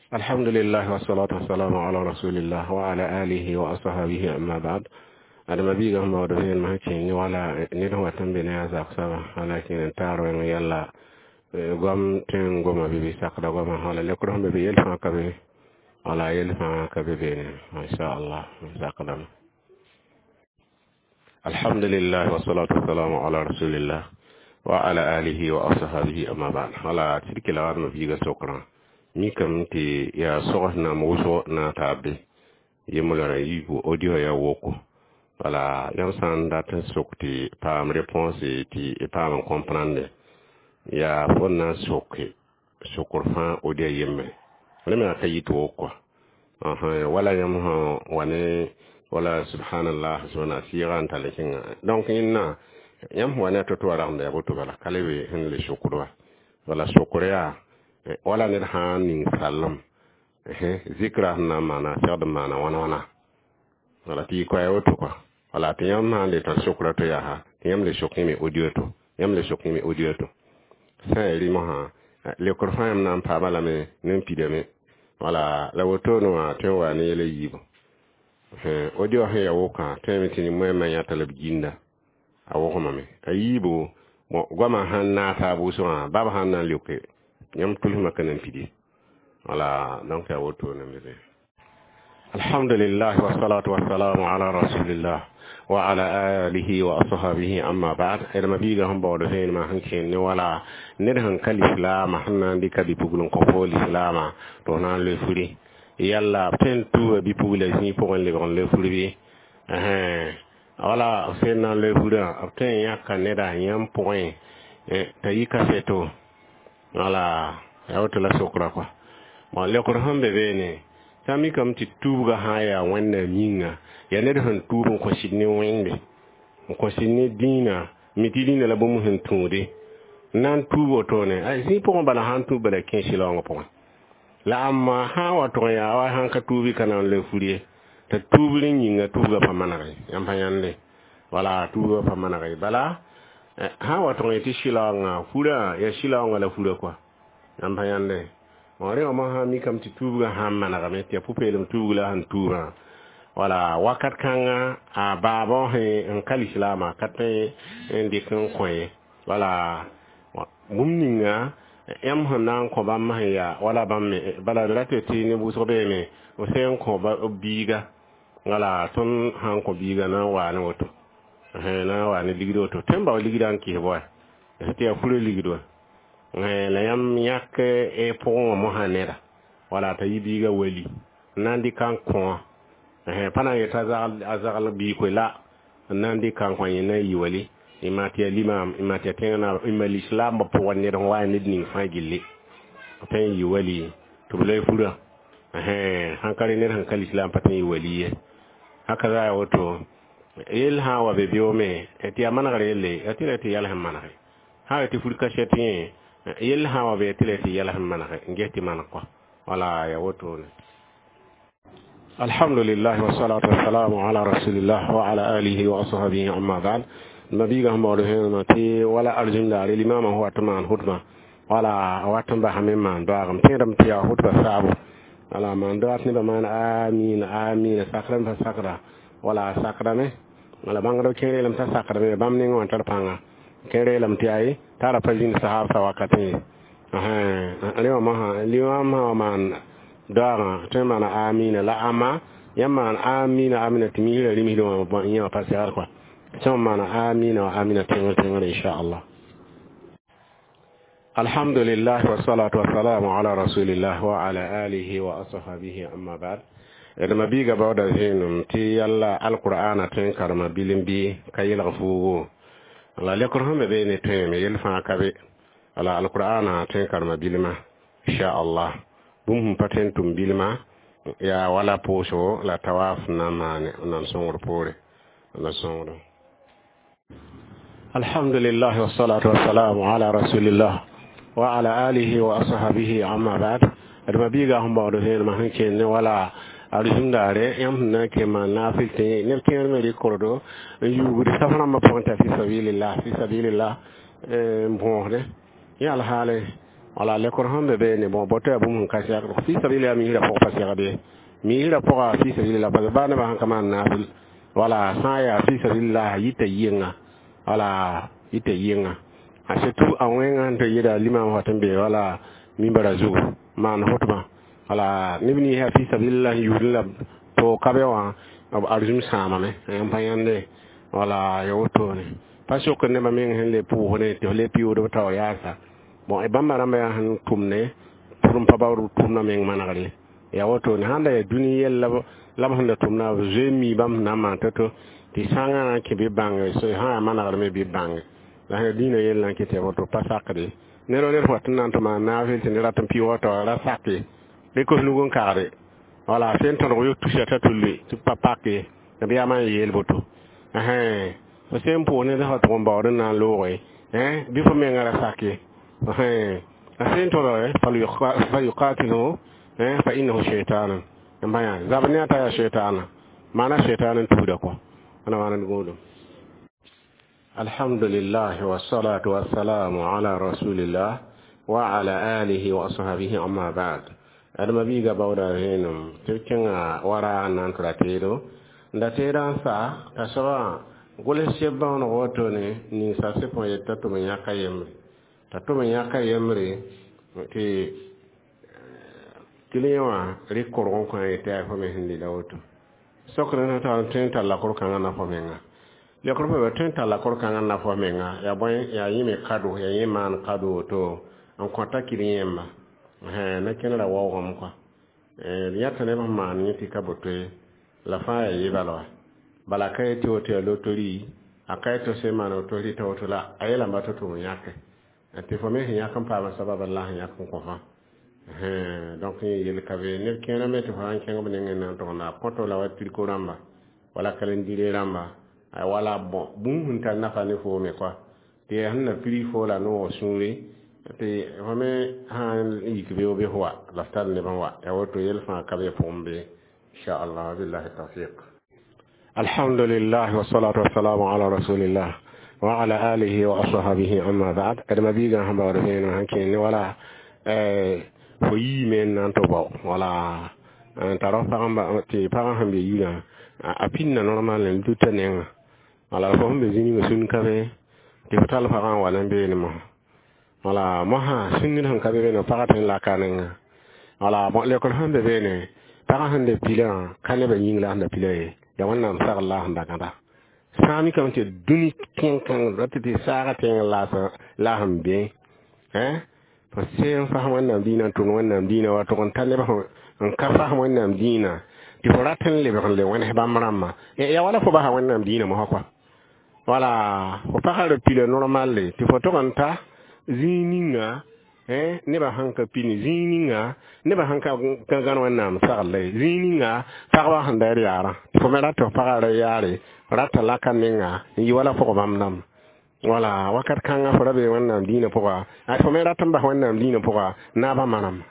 Alhamdulillah wassalatu wassalamu ala rasulillah wa ala alihi wa ashabihi, amma ba'd. Adama biiga sẽn baood vẽenemã sẽn kẽng ne wala ned sẽn wat n be ne a zak soaba wala kẽer n taar wẽng yalla goam tõe n goma bɩ bɩ sakda goamã wala lekr sẽn be be yel fãa ka be wala yel fãa ka be beene inchallah sakdame. Alhamdulillah wassalatu wassalamu ala rasulillah wa ala alihi wa ashabihi, amma ba'd. Wala tɩd kela wadmã biiga sokrã mikame tɩ yaa sogs nam wʋsg na n taa be yemblã yiibu audio yaa woko wala yãmb sã n dat n sok tɩ paam réponse tɩ paam n comprendre yaa fo na n soke sokr fãa audio yembre rẽ me ka yit woko wala yãmb sã wa ne wala subhanallah subhana sɩɩga n tall n kẽnga. Donc yẽnna yãmb sẽn wa ne a to-to wa ragenda yaa boto bala ka le be sẽn le sokd wa wala sokr yaa wala ned sã n ning sallem zikra sẽn na n maana segd n maana wãna wãna wala tɩ yɩ koɛɛ woto kɔa wala tɩ yãmb sã n le tar sokra to yaa tɩ yãmb le sok yẽme audio to yãmb le sok yẽme audio to sã n yaa rɩmsã lekr fãa yãmb na n paama lame ne n pidame wala la wotone wã tõe n waa ne yɛl a yiibu audio sẽn yaa wokã tõeme tɩ nin-moɛɛmã yãta la b ginda a wogmame a yiibu goamã sãn naag taab wʋsgã bab sãn na n leoke yãmb tʋlsmã ka na n pidi wala. Donc yaa wotone n be. Alhamdulillah wassalatu wassalamu ala rasulillah wa ala alihi wa ashabihi, amma ba'd. Adama biiga sẽn baood vẽenemã sẽn kẽen ne wala ned sẽn ka lislaama sẽn na n dɩka bɩ-pugl n kõ fo lislaama tɩ f na n loe furi yalla b tõe n tuuga bɩ-pugla zĩig pʋgẽ lebg n loe fur bɩ wala b sẽn na n loe furã b tõe n yãka neda yãmb pʋgẽ t'a yi kaseto wala yaa woto la sokra kɔa. Bon, lekr sẽn be beene sã n mikame tɩ tuubgã sã n yaa Wẽnnaam yĩnga yaa ned sẽn tuub n kõ sɩd ne Wẽnde n kõ sɩd ne dĩinã mi tɩ dĩinã la bũmb sẽn tũude n na n tuub wotone zĩig pʋgẽ bala sã n tuub bala kẽ sɩlaoongã pʋgẽ la ãmma sã n wa tʋg n yaa wa sãn ka tuubi ka na n loe fur ye t'a tuubr n yĩnga tuubgã pa manege yãmb pa yãnde wala tuubgã pa manege bala sã n wa tʋg n yetɩ sɩlaoongã furã yaa sɩlaoongã la furã kɔa yãmb pa yãnde. Bon, rẽ wã mosã mikame tɩ tuubgã sã n manegame tɩ yaa pʋ-peelem tuubg la sẽn tuubã wala wakat kãngã a baabã sẽn n ka lislaamã ka tõe n dɩk n kõ ye wala bũmb ninga yãmb sẽn na n kõ bãmb sẽn yaa wala bãmb me bala d rata tɩ ne wʋsg beeme b sẽn n kõ b biiga wala tõnd sã n kõ biiga na n waa ne woto na n waa ne ligd woto tõe n bao ligdã n kɩs bõe tɩ yaa furã ligd wã la yãmb yãk pʋgẽ wã mosã neda wala t'a yɩ biiga wali n na n dɩka n kõ pa na n yetɩ a zagl biig koe la n na n dɩka n kõ yẽ na n yɩ wali y maa tɩ yaa limaam y maa tɩ yaa tẽng naab y ma lislaambã pʋgẽ ned sẽn wa ned ning fãa gilli tõe n yɩ wali tɩ b loe furã sãn ka rẽ ned sẽn ka lislaam pa tõe n yɩ wali ye haka za yaa woto yell sã n wa be beoome tɩ yaa manegr yelle yaa tɩ la tɩ yɛls n manege sã n tɩ fur kasɛt yẽ yell sã n wa be tɩ la tɩ yɛls n manege n ges tɩ maneg kɔa wala yaa wotone. Alhamdulillah wassalatu wassalamu ala rasulillah wa ala alihi wa ashabihi, amma ba'd. Nabiga sẽn baood vẽenemã tɩ wala arzũndaare limamã sẽn wat n maan hʋtbã wala a wat n basame n maan doaagem tẽedame tɩ yaa hʋtbã saabo wala maan doaat nebã maan amiina amiina sakrame pa sakda wala a sakdame wala bãngdb kẽer yeelame t'a sakdame bãmb nengẽ wã tar pãnga kẽer yeelame tɩ aye t'a ra pa zĩnd sahaab sa wakatẽ ye rẽ wã mosã limam sã wa maan doaagã tõe n maana amiina la ãmma yãmb maan amiina amina tɩ misrã rĩmsd wã yẽ wã pa segd kɔa tõe n maana amina wa amina tẽngr tẽngr inchallah. Alhamdulillah wassalatu wassalamu ala rasulillah wa ala alihi wa ashabihi, amma ba'd. Dma biiga baooda vẽenem tɩ yalla alqur'ana tõe n karema bilim bɩ ka yelg fuugo la lekr sẽn be beene tõeme yell fãa ka be wala alqur'ana tõe n karema bilmã inchallah bũmb sẽn pa tõe n tʋm bilmã yaa wala pʋʋsgo la tawaf na n maane nan sõngr poore la sõngr. Alhamdulillah wassalatu wassalamu ala rasulillah wa ala alihi wa ashabihi, amma ba'd. Adama biiga sẽn baood vẽenemã sẽn kẽen ne wala arzũndaare yãmb sẽn na n kẽ maan naafɩl tɩ neb kẽer me rɩkordо n yuugd saf rãmbã pʋgẽ t'a fi sabilillah fi sabilillah n bõosde yã alhaale. Wala lekor sẽn be beene, bon, boto yaa bũmb sẽn ka segd fi sabilillah misrã pʋg pa segd ye. Misrã pʋga fi sabilillah, parce que baa nebã sẽn ka maan naafɩl, wala sã n yaa fi sabilillah yita yɩnga, wala yita yɩnga, a surtout a wẽngã sẽn tɩ yɩda limam wa tɩ n be wala mimbara zugu maan hʋtbã, wala neb nins yaa fi sabilillah n yuudẽ la to ka be wã b arzum sãamame n pa yãnde, wala ya wotone pa sok nebã meng sẽn le pʋʋsdẽ tɩ f le pɩʋʋd b taoor yaasa. Bon, bãmba rãmba yaa sẽn tʋmne pʋr n pa baood tʋmdã meng manegre ya wotone sãn da yaa dũni yɛl la b sẽn da tʋmda b zoe n mi bãmb sẽn na n maan to-to tɩ sãngã na n kẽ bɩ bãnge sã yaa manegr me bɩ bãnge la sẽn dĩinã yell na n kɩt tɩ woto pa sakde ned wa ned wat n na n tɩ maan naafɩl tɩ ned rat n pɩʋʋga tao ra sake rɩk f nug n kagde, wala sẽn tõdg yo tusa t'a tulli tɩ pa pak ye b yaa maan yeel boto fo sẽn pʋʋs ned fa tʋg n baood n na n looge bɩ fo menga ra sak ye. A sẽn tõdge falyuqatilhu fa innahu shaytanun n bã yaa zab ne a t'a yaa shaytana maana shaytan n tuuda kɔ wãna maana d gũudum. Alhamdulillah wassalatu wassalamu ala rasulillah wa ala alihi wa ashabihi, amma ba'd. Adama biiga baooda vẽenem tɩ b kẽnga wara n na n tɩ ra teedo n da teedã n sa t'a soabã gʋls seb bãooneg wotone ninsa sɩ pʋgẽ yet t'a tʋm n yãka yembre t'a tʋm n yãka yembre tɩ client wã rɩk korg n kõ a yetɩ yaa fo me sẽn lila woto sokr n t'a tõe n tar lakor kãngã na fo menga lekr fo be tõe n tar lakor kãngã na fo menga yaa bõe yaa yẽ me kado yaa yẽ maan kado woto n kõta client yẽmba na kẽne ra waoogame kɔa d yãta neb sẽn maan yẽ tɩ ka boto ye la fãa yaa yebal wa bala ka yetɩ woto yaa lotori a ka yetɩ sẽn maan woto rɩta woto la a yeelame tɩ tʋm n yãke tɩ fo me sẽn yãk n paama sabab la sẽn yãk n kõ fãa. Donc yẽ yel ka be neb kẽerã me tɩ fo sãn kẽng b nengẽ na n togenda a kõto la wa triko rãmba wala kalendire rãmba wala bon bũmb sẽn tar nafa ne foo me kɔa tɩ yaa sẽn na piri fo la noog sũure tɩ fo me sãn yik beoog bɩ f wa la f tar neb n wa yaa woto yel fãa ka be pʋgẽ be inchallah billahi tawfiq. Alhamdulillah wassalatu wassalamu ala rasulillah wa ala alihi wa ashabihi, amma ba'd. Adama biigã sẽn baood vẽenem sãn kẽe ne wala fo yiime n na n tɩ bao wala n tar f pagã tɩ pagã sẽn be yirã a pĩnda normal n luta nengã wala fo sẽn be zĩ ninga sũn ka be tɩ fo tall pagã n wa n beene mosã wala mosã sũn ned sẽn ka be beene pagã tõe n laka a nengã wala bon lekr sẽn be beene pagã sẽn de pilã ka nebã yĩng la sẽn da pila ye yaa wẽnnaam sagl la sẽn da gãda sã n mikame tɩ dũni tẽn-kãng ra tɩ tɩ saaga tẽng la sẽn bẽ fo sẽn fasem wẽnnaam dĩinã n tʋmd wẽnnaam dĩinã wa tʋg n ta neb n ka fasem wẽnnaam dĩinã tɩ fo rat n lebg n le wẽns bãmb rãmbã yaa wala fo basa wẽnnaam dĩinã mosã kɔa wala fo pagã ra pila normal tɩ fo tʋg n ta zĩig ninga nebã sãn ka pini zĩig ninga nebã sãn ka gãn wẽnnaam sagl ye zĩig ninga pagba sẽn da d yaarã tɩ fo me rat tɩ f pagã ra yaare rata laka nenga n yɩ wala pʋg bãmb dãmb wala wakat kãngã fo ra be wẽnnaam dĩinã pʋga fo me rat n bas wẽnnaam dĩinã pʋga naabã manam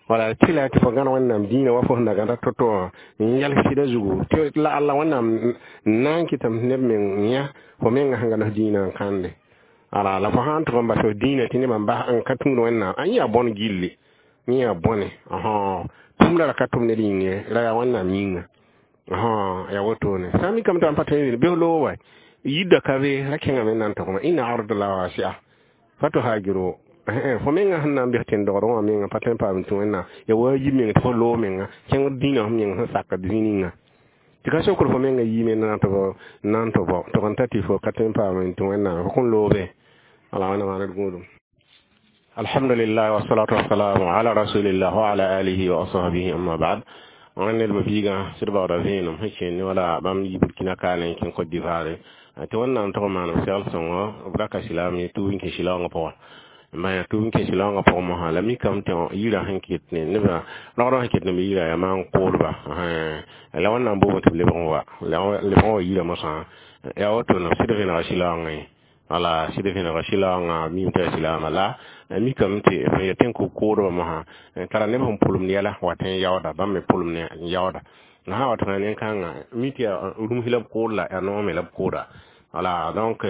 wala tɩla tɩ fo gãn wẽnnaam dĩinã wa fo sẽn da gãda to-to wã n yɛls sɩda zugu tɩ la alla wẽnnaam n na n kɩtame neb meng yã fo menga sẽn gãns dĩinã n kãnde ala la fo sãn tʋg n bas f dĩinã tɩ nebã n ka tũud wẽnnaam a yẽ yaa bõn gilli yẽ yaa bõne tʋmda ra ka tʋm ned yĩng ye ra yaa wẽnnaam yĩnga yaa wotone sã n mikame tɩ pa tõe n bɩ f loog wa yidda ka be ra kẽngame n na n togame inna arda wasi'a fatuhajiru fo menga sẽn na n bɩs tẽn-dogd wã menga pa tõe n paam tũ wẽnnaam ya waajib meng tɩ fo loog menga kẽng dĩinã f meng sẽn sakd zĩ ninga tɩ ka sokr fo menga yiime na n tɩ bao tʋg n ta tɩ fo ka tõe n paam n tũ wẽnnaam fo kõn loobe ala wẽnna maan d gũudum. Alhamdulillah wassalatu wassalamu ala rasulillah wa ala alihi wa ashabihi, amma ba'd. Wãn ned ma biigã sɩd baooda vẽenem sẽn kẽen ne wala bãmb yi Burkina kaane n kẽng Côte d'Ivoire tɩ wẽnnaam tʋg n maanem segl sõngo b ra ka silaam ye tʋʋb n kẽ silaoongã pʋga n bã tʋʋb n kẽ silaoongã pʋgẽ mosã la mikame tɩ yirã sẽn ket ne nebã rogdã sẽn ket ne b yirã yaa maan koodba la wẽnnaam boobã tɩ b lebg n wa lebg n wa yirã mosã yaa woto sɩd vẽnega silaoongã ye wala sɩd vẽnega silaoongã mim tɩ yaa silaamã la mikame tɩ f yetɩ n kʋ koodbã mosã tara neb sẽn pʋlemd yɛla wa tɩ n yaooda bãmb me pʋlemd n yaooda la sã wa tɩ nen-kãngã mi tɩ yaa rũms la b kood la yaa noog me la b kooda wala donc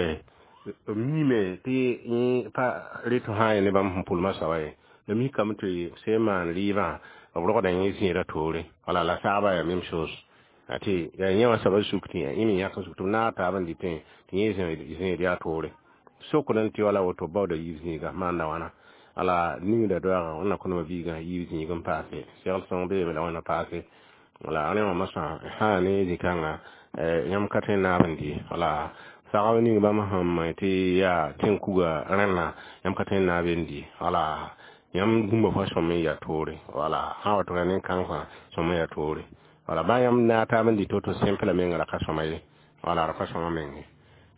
B miime tɩ yẽ pa ret sã n ne bãmb sẽn pʋlmã soaba ye. La mikame tɩ sẽn maan rɩɩbã, b rogda yẽ zẽedã toore. Wala la saabã yaa même chose. Tɩ yaa yẽ wã soabã suk tɩ yẽ me yãk n suk tɩ b naag taab n dɩtẽ tɩ yẽ zẽed yaa toore. Sokd n tɩ wala woto baooda yiib zĩiga maanda wãna. Ala ningda doaagã wẽnna kõ nebã biigã yiib zĩig n paase. Segl sõng beeme la wẽnna paase. Wala rẽ wã mosã sã ne zĩ-kãnga yãmb ka tõe n naab n dɩ. Wala sagb ning bãmb sẽn me tɩ yaa tẽn-kuga rẽnna, yãmb ka tõe n naab n dɩ. Wala yãmb bũmba fãa sõm n yaa toore. Wala sã n wa tɩ yaa nin-kãng fãa sõm n yaa toore. Wala baa yãmb naag taab n dɩ to-to simple menga ra ka sõma ye. Wala ra pa sõma meng ye.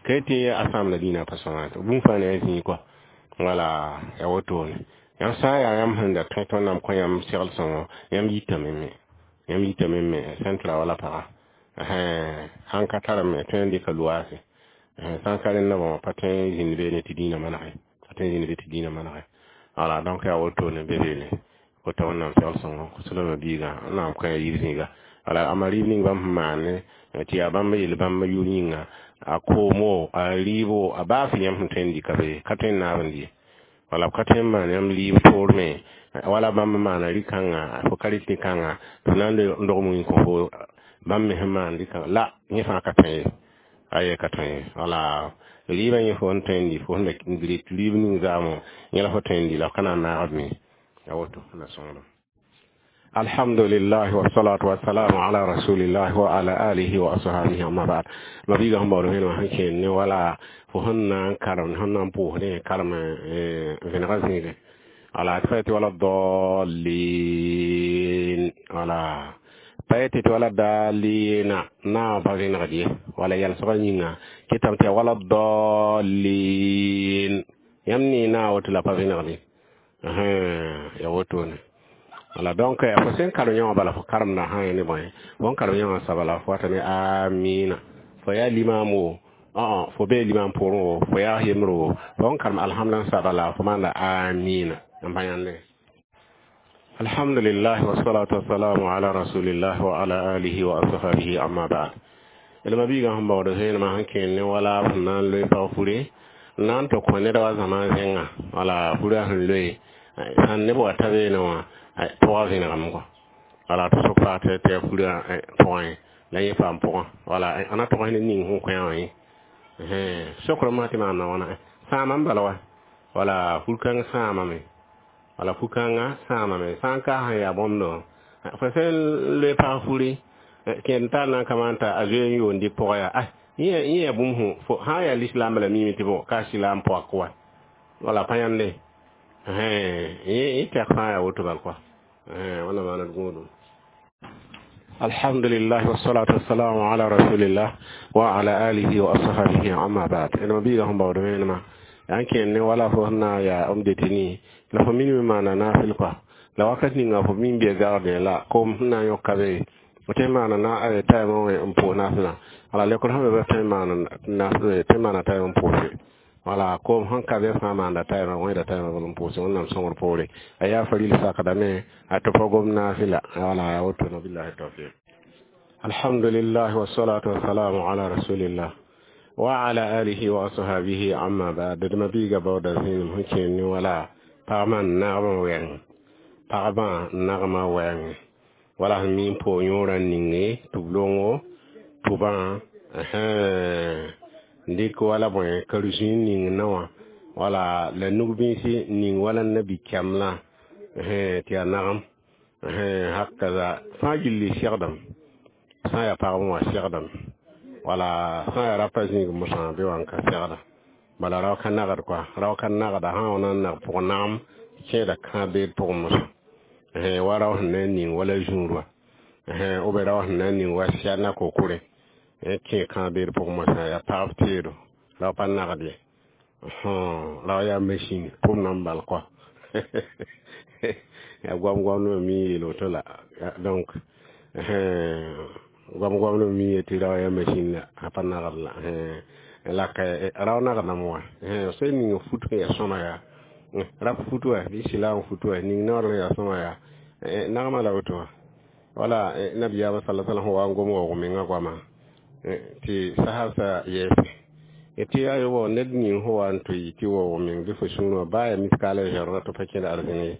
Ka tɩ a sãamda dĩinã pa sõma bũmb fãa ne a zĩig kɔa. Wala yaa wotone. Yãmb sã n yaa yãmb sẽn da tõe tɩ Wẽnnaam kõ yãmb segl sõngo, yãmb yitame me. Yãmb yitame me sẽn tɩ ra wala paga. Sãn ka tar me tõe n dɩka loaase. Sã n ka rẽndã bõe pa tõe n zĩnd beene tɩ dĩinã manege. Pa tõe n zĩnd be tɩ dĩinã manege. Wala donc yaa wotone be beene. Kota Wẽnnaam segl sõngo kos-d biigã Wẽnnaam kõ ya yiib zĩiga. Wala a rɩɩb ning bãmb sẽn maane tɩ yaa bãmb yel bãmb yʋʋr yĩnga a koomo, a rɩɩbo, a baas yãmb sẽn tõe n dɩka be ka tõe n naab n dɩ. Wala b ka tõe n maan yãmb rɩɩb toor me wala bãmb maana rɩ-kãnga fo ka rɩt rɩ-kãnga tɩ b na n dog wĩn kõ fo bãmb me sẽn maan rɩ-kãnga la yẽ fãa ka tõe ye. Aye ka tõe ye. Wala rɩɩbã yẽ fo n tõe n dɩ fo sẽn da ret rɩɩb ning zaamõ yẽ la fo tõe n dɩ la f ka na n naagd me. Ya woto na sõngdem. Alhamdulillah wassalatu wassalamu ala rasulillah wa ala alihi wa ashabihi, amma ba'd. Ma biiga sẽn baood vẽenemã sẽn kẽen ne wala fo sẽn na n karem, sẽn na n pʋʋs ne karem vẽnegã zĩigẽ. Wala tɩ pa yetɩ wala dallin, wala pa yetɩ tɩ wala daalina naawã pa vẽnegd ye. Wala yalsgã yĩnga kɩtame tɩ yaa wala dallin. Yãmb ne naawã woto la pa vẽnegd ye. Yaa wotone. Wala donc fo sẽn karem yã wã bala fo karemda sã n ne bõe fo n karem yã wã soaba la fo wata ne amina. Fo yaa limam o, fo bee limam pʋgẽ o, fo yaa yembre o, fo n karem alhamdã soaba la fo maanda amina n pa yãnde. Alhamdulillah wassalatu wassalamu ala rasulillah wa ala alihi wa ashabihi, amma ba'd. D ma biigã sẽn baood vẽenemã sẽn kẽen ne wala b sẽn na n loe pag fure n na n tɩ kõ ned wa zãma zẽnga. Wala furã sẽn loe sãn neb wa ta beene wã pʋgã vẽnegame kɔ. Wala tɩ sʋk paa tɩ yaa furã pʋgẽ la yẽ paam pʋgã. Wala a na tʋgs ne ning sẽn kõ wã yẽ. Sokr mosã tɩ maanda wãna sãama n bala wa. Wala fur-kãng sãamame. Wala fu-kãngã sãamame. Sã n ka sẽn yaa bõmdo fo sẽn loe pag furi kẽed tar na n ka maan t'a a zoe n yoond dɩk pʋgã yaa yẽ yaa bũmb sũ fo sã n yaa lislaambã la miime tɩ bõ ka silaam poak wa. Wala pa yãnde yẽ tɛk fãa yaa woto bal kɔa. Wẽnna maana d gũudum. Alhamdulillah wassalatu wassalamu ala rasulillah wa ala alihi wa ashabihi, amma ba'd. D ma biiga sẽn baood vẽenemã yaa n kẽen ne wala fo sẽn na n yaa m deteni la fo minime maana naafɩl kɔa. La wakat ninga fo min bee gardien la koom sẽn na n yõk ka be fo tõe n maana na taɩmã wẽ n pʋʋs naafɩlã. Wala lekr sẽn be ba tõe n maana taɩm n pʋʋse. Wala koom sẽn ka be fãa maanda taɩma wẽeda taɩmã bal n pʋʋse Wẽnnaam sõngr poore. A yaa faril sakdame a tɩ pa gom naafɩla. Wala yaa wotone. Billahi tawfiq. Alhamdulillah wassalatu wassalamu ala rasulillah wa ala alihi wa ashabihi, amma ba'd. D ma biiga baooda zĩenem sẽn kẽen ne wala pagmã n nagmã wɛɛng, pagmã nagmã wɛɛngẽ. Wala sẽn mi n pʋʋg yõorã n ninge tʋb-longo tʋbã n dɩk wala bõe karuzĩ n ning naowã wala la nug-bĩisi ning wala nabi-kɛmlã tɩ yaa nagem hakaza fãa gilli segdem. Sã n yaa pagb wã segdem, wala sã n yaa rapa zĩig mosã be wã n ka segda. Bala rao ka nagd kɔa, rao ka nagda sã n wa na n nag pʋg nagem kẽeda kãab-beed pʋgẽ mosã wa rao sẽn na n ning wala zũur wã ou bien rao sẽn na n ning wa sɛd na kokore kẽ kãab-beed pʋgẽ mosã yaa pagb teedo. Rao pa nagd ye, rao yaa machine pʋm na n bal kɔa yaa goam-goamdmã mi yeel woto la. Donc goam-goamdmã mi yetɩ rao yaa machine la a pa nagd la la ka rao nagdame wã sẽn ning fut sẽn yaa sõma yaa rap fut wa bɩ silaam fut wa ning naoor sẽn yaa sõma yaa nagmã la woto wã. Wala nabiyaamã sala sallam sẽn wa n gom waoog mengã goama tɩ sahabsã yɛɛse Tɩ ayobo ned ning fo wa n tɩ tɩ waoog meng bɩ fo sũur wã baa yaa miskaala zẽrga tɩ pa kẽd arzẽn ye.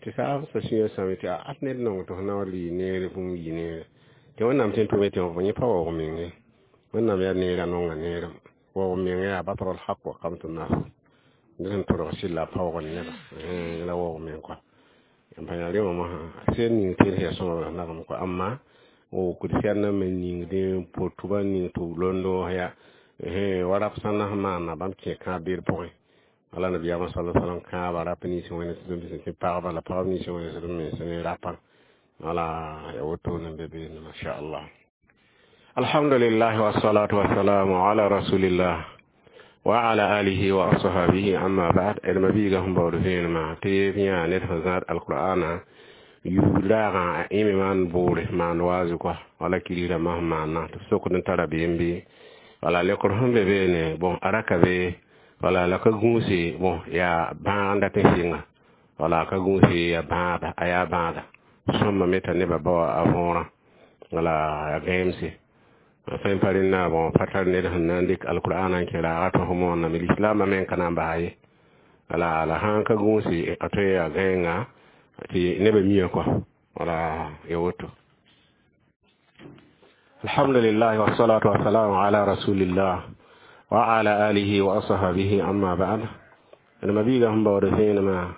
Tɩ saasã sũyã sãame tɩ a ned nong tɩ f na wa lʋɩ neere bũmb yɩ neere. Tɩ Wẽnnaam tõe n tʋme tɩ yẽ pa waoog meng ye. Wẽnnaam yaa neerã nonga neerem. Waoog meng yaa batrl haq wa qamtu nas. Ned sẽn tʋrg sɩlla paoogd neba. La waoog meng kɔa. N pa yã rẽ wã mosã sẽn ning tɩ yaa sõma la nagem kɔa. Amma wokd sɛd me ningdẽ potba ning tɩ londo ya wa rap sãn na sẽn maana bãmb kẽ kãab beer pʋgẽ. Wala nabiyaamã sala salam kãaba rap nins wẽnd sẽn pagba la pagb nins wẽnd sẽn mens ne rapã. Wala ya woto n be beene masha Allah. Alhamdulillah wassalatu wassalamu ala rasulillah wa ala alihi wa ashabihi, amma ba'd. D mabiiga sẽn baood vẽenemã tɩ yã ned sẽn zãad alqur'ana yuug-daagã a ẽme maan boore maan waazu kɔa wala kirigdã sẽn maana tɩ b sokd n tara beem bɩ wala lekr sẽn be beene. Bon, a ra ka be wala la ka gũuse. Bon, yaa bãag n dat n sɩnga wala ka gũuse yaa bãada, a yaa bãada sõmba me t'a nebã bao a võorã wala ya gãeemse sẽn pa rẽnda. Bon, pa tar ned sẽn na n dɩk alqur'ana n kẽ raaga tɩ fo mooname lislaambã meng ka na n basa ye. Wala la sãn ka gũuse a tõe yaa gãenga tɩ nebã mia kɔa wala ya woto. Alhamdulillah wassalatu wassalamu ala rasulillah wa ala alihi wa ashabihi, amma ba'd. D mabiiga sẽn baood vẽenemã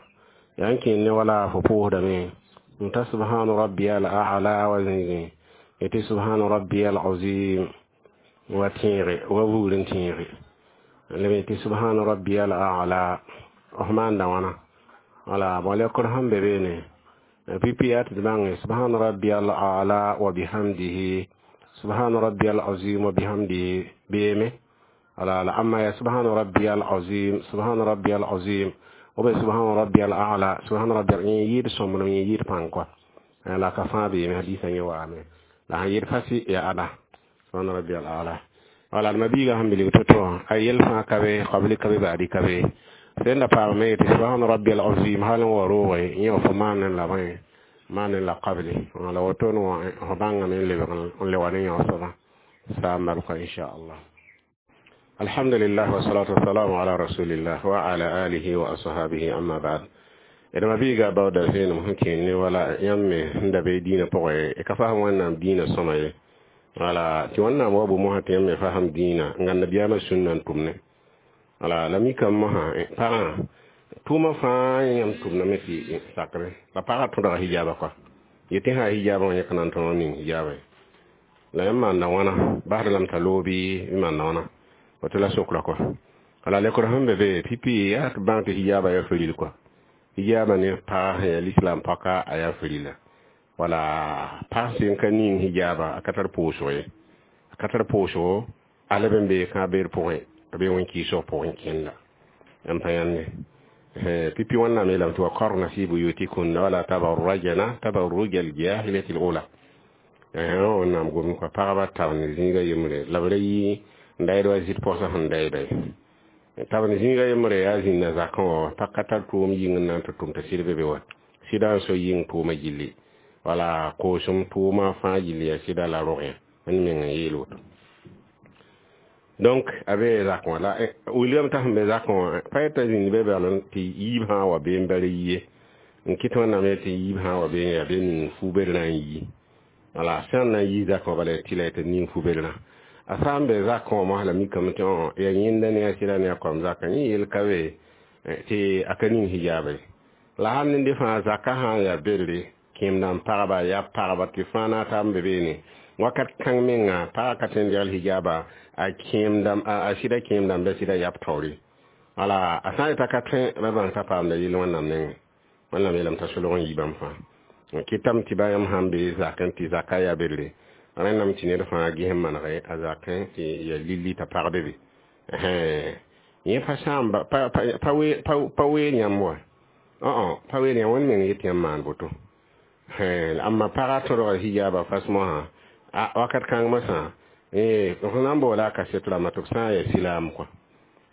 yaa n kẽnd ne wala fo pʋʋsdame n ta subhana rabbiya al a'la wa zĩigẽ tɩ subhana rabbiya al azim wa tẽege wa buur n tẽege leme tɩ subhana rabbiya al a'la f maanda wãna. Wala bon, lekr sẽn be beene pipi yaa tɩ d bãnge subhana rabbiya al a'la wa bihamdihi, subhana rabbiya al azim wa bihamdihi beeme. Wala la amma ya subhana rabbiya al azim, subhana rabbiya al azim ou bien subhana rabbiya al a'la, subhana rabbiya yẽ yɩɩd sõmblem, yẽ yɩɩd pãng kɔa la ka fãa beeme hadiisã yẽ waame la sãn yɩɩd fasi ya ada subhana rabbiya al a'la. Wala d mabiiga sẽn bilg to-to a yel fãa ka be qabli ka be baadi ka be sẽn da paamame tɩ subhana rabbiya al azim hal n wa roogẽ yẽ fo maan n la bõe maan n la qabli la wotone wã fo bãngame n lebg n le wa ne yão soabã saa n malka inchallah. Alhamdulillah wassalatu wassalamu ala rasulillah wa ala alihi wa ashabihi, amma ba'd. D mabiiga baooda vẽenem sẽn kẽen ne wala yãmb me sẽn da be dĩinã pʋgẽ ka fasem Wẽnnaam dĩinã sõma ye. Wala tɩ Wẽnnaam wa bo mosã tɩ yãmb me fasem dĩinã n gãnd nabiyaamã sũnna n tʋmne. Wala la mikame mosã pagã tʋʋmã fãa yãmb tʋmdame tɩ sakre la pagã tõdga hijaaba kɔa yetɩ sã hijaabã wã yẽk na n tõog ning hijaaba la yãmb maanda wãna basd lame t'a loog bɩ maanda wãna woto la sokra kɔa. Wala lekr sẽn be be pipi yaa tɩ bãng tɩ hijaaba yaa firil kɔa hijaaba ne pag sẽn yaa lislaam paka a yaa firila. Wala pag sẽn ka ning hijaaba a ka tar pʋʋsg ye, a ka tar pʋʋsgo a leb n bee kãab beer pʋgẽ a bee wẽn-kɩɩsg pʋgẽ kẽnda n pa yãnde pipi. Wẽnnaam yeelame tɩ wa qarna fi buyutikunna wala tabarrajna tabarruja aljahiliyati alula. Wẽnnaam gomd kɔa pagba tab ne zĩiga yembre la b ra yi n dayd wa zɩt pɔsã sẽn dayda ye tab ne zĩiga yembre yaa zĩnda zakẽ wã pa ka tar tʋʋm yĩng n na n tɩ tʋm tɩ sɩd be be wa sɩda n so yĩng tʋʋma gilli wala koosem tʋʋma fãa gilli yaa sɩda la rogẽ n meng n yeel woto. Donc a be zakẽ wã la wilgame t'a sẽn be zakẽ wã pa yeta zĩnd be bal tɩ yiib sã n wa bee n bara yie n kɩt Wẽnnaam tɩ yiib sã n wa bee yaa bee ning fu-berrã n yi. Wala sẽn na n yi zakẽ wã bala tɩ la tɩ ning fu-berrã a sã n be zakẽ wã mosã la mikame tɩ yaa yẽnda ne a sɩda ne a koam zakã yẽ yel ka be tɩ a ka ning hijaaba ye. La sãn ned fãa zakã sã n yaa berre kẽemdã n pagba yaa pagba tɩ fãa na a taab n be beene wakat kãng menga pagã ka tõe n degl hijaaba a kẽemdã a sɩda kẽemdãmba sɩda yab taoore. Wala a sã n yeta ka tõe ba bãng t'a paamda yell Wẽnnaam nengẽ. Wẽnnaam yeelame t'a solg n yi bãmb fãa kɩtame tɩ ba yãmb sãn be zakẽ tɩ zaka yaa berre rẽndame tɩ ned fãa ges n manege a zakẽ tɩ ya lilli t'a pagde be yẽ pa sãamba pa weel yãmb wa pa weel yãmb wẽnd meng yet yãmb maan boto. Amma pagã tõdga hijaaba fas mosã wakat kãng mosã f na n boola a kaset rãmbã tɩ b sã n yaa silaam kɔa